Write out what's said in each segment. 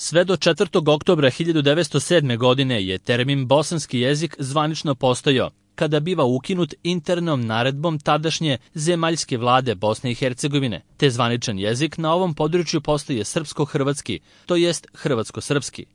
Sve do 4. oktobra 1907. godine je termin bosanski jezik zvanično postojao, kada biva ukinut internom naredbom tadašnje zemaljske vlade Bosne i Hercegovine, te zvaničan jezik na ovom području postaje srpsko-hrvatski, to jest hrvatsko-srpski.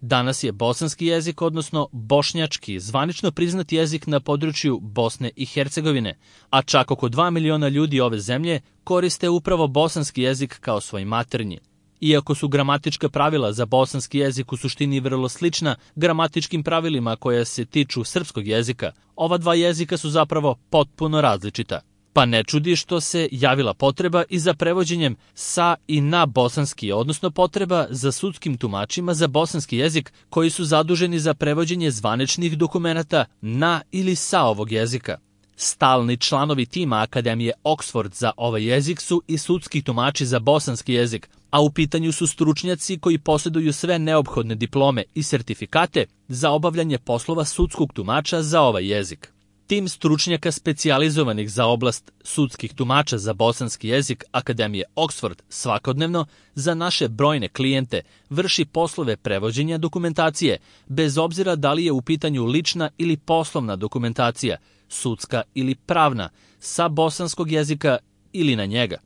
Danas je bosanski jezik, odnosno bošnjački, zvanično priznat jezik na području Bosne i Hercegovine, a čak oko 2 miliona ljudi ove zemlje koriste upravo bosanski jezik kao svoj maternji. Iako su gramatička pravila za bosanski jezik u suštini vrlo slična gramatičkim pravilima koja se tiču srpskog jezika, ova dva jezika su zapravo potpuno različita. Pa ne čudi što se javila potreba i za prevođenjem sa i na bosanski, odnosno potreba za sudskim tumačima za bosanski jezik koji su zaduženi za prevođenje zvaničnih dokumenata na ili sa ovog jezika. Stalni članovi tima Akademije Oxford za ovaj jezik su i sudski tumači za bosanski jezik, a u pitanju su stručnjaci koji posjeduju sve neophodne diplome i sertifikate za obavljanje poslova sudskog tumača za ovaj jezik. Tim stručnjaka specijalizovanih za oblast sudskih tumača za bosanski jezik Akademije Oxford svakodnevno za naše brojne klijente vrši poslove prevođenja dokumentacije, bez obzira da li je u pitanju lična ili poslovna dokumentacija, sudska ili pravna, sa bosanskog jezika ili na njega.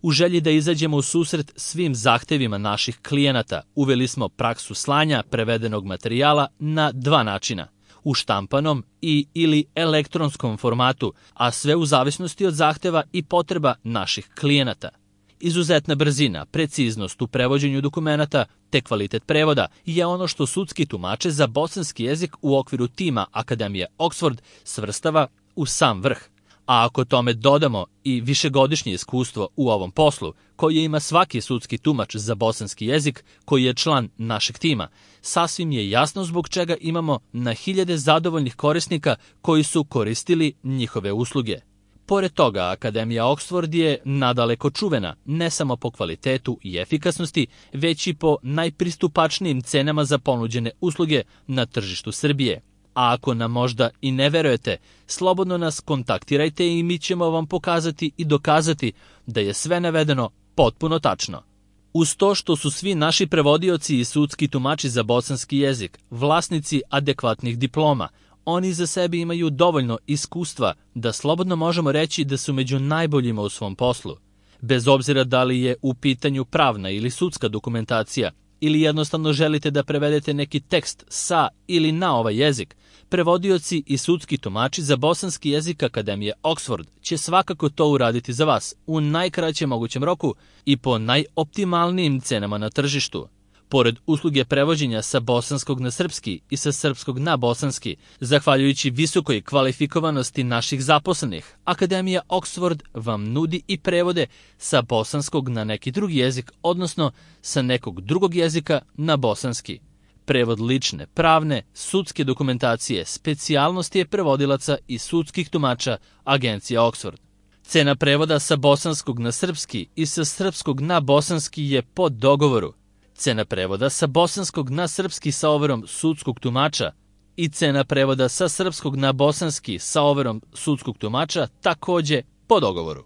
U želji da izađemo u susret svim zahtevima naših klijenata, uveli smo praksu slanja prevedenog materijala na dva načina: u štampanom i ili elektronskom formatu, a sve u zavisnosti od zahteva i potreba naših klijenata. Izuzetna brzina, preciznost u prevođenju dokumenata te kvalitet prevoda je ono što sudski tumače za bosanski jezik u okviru tima Akademije Oxford svrstava u sam vrh. A ako tome dodamo i višegodišnje iskustvo u ovom poslu, koje ima svaki sudski tumač za bosanski jezik koji je član našeg tima, sasvim je jasno zbog čega imamo na hiljade zadovoljnih korisnika koji su koristili njihove usluge. Pored toga, Akademija Oxford je nadaleko čuvena, ne samo po kvalitetu i efikasnosti, već i po najpristupačnijim cenama za ponuđene usluge na tržištu Srbije. A ako nam možda i ne verujete, slobodno nas kontaktirajte i mi ćemo vam pokazati i dokazati da je sve navedeno potpuno tačno. Uz to što su svi naši prevodioci i sudski tumači za bosanski jezik vlasnici adekvatnih diploma, oni za sebi imaju dovoljno iskustva da slobodno možemo reći da su među najboljima u svom poslu. Bez obzira da li je u pitanju pravna ili sudska dokumentacija, ili jednostavno želite da prevedete neki tekst sa ili na ovaj jezik, prevodioci i sudski tumači za bosanski jezik Akademije Oxford će svakako to uraditi za vas u najkraćem mogućem roku i po najoptimalnijim cenama na tržištu. Pored usluge prevođenja sa bosanskog na srpski i sa srpskog na bosanski, zahvaljujući visokoj kvalifikovanosti naših zaposlenih, Akademija Oxford vam nudi i prevode sa bosanskog na neki drugi jezik, odnosno sa nekog drugog jezika na bosanski. Prevod lične, pravne, sudske dokumentacije, specijalnosti je prevodilaca i sudskih tumača Agencija Oxford. Cena prevoda sa bosanskog na srpski i sa srpskog na bosanski je po dogovoru. Cena prevoda sa bosanskog na srpski sa overom sudskog tumača i cena prevoda sa srpskog na bosanski sa overom sudskog tumača takođe po dogovoru.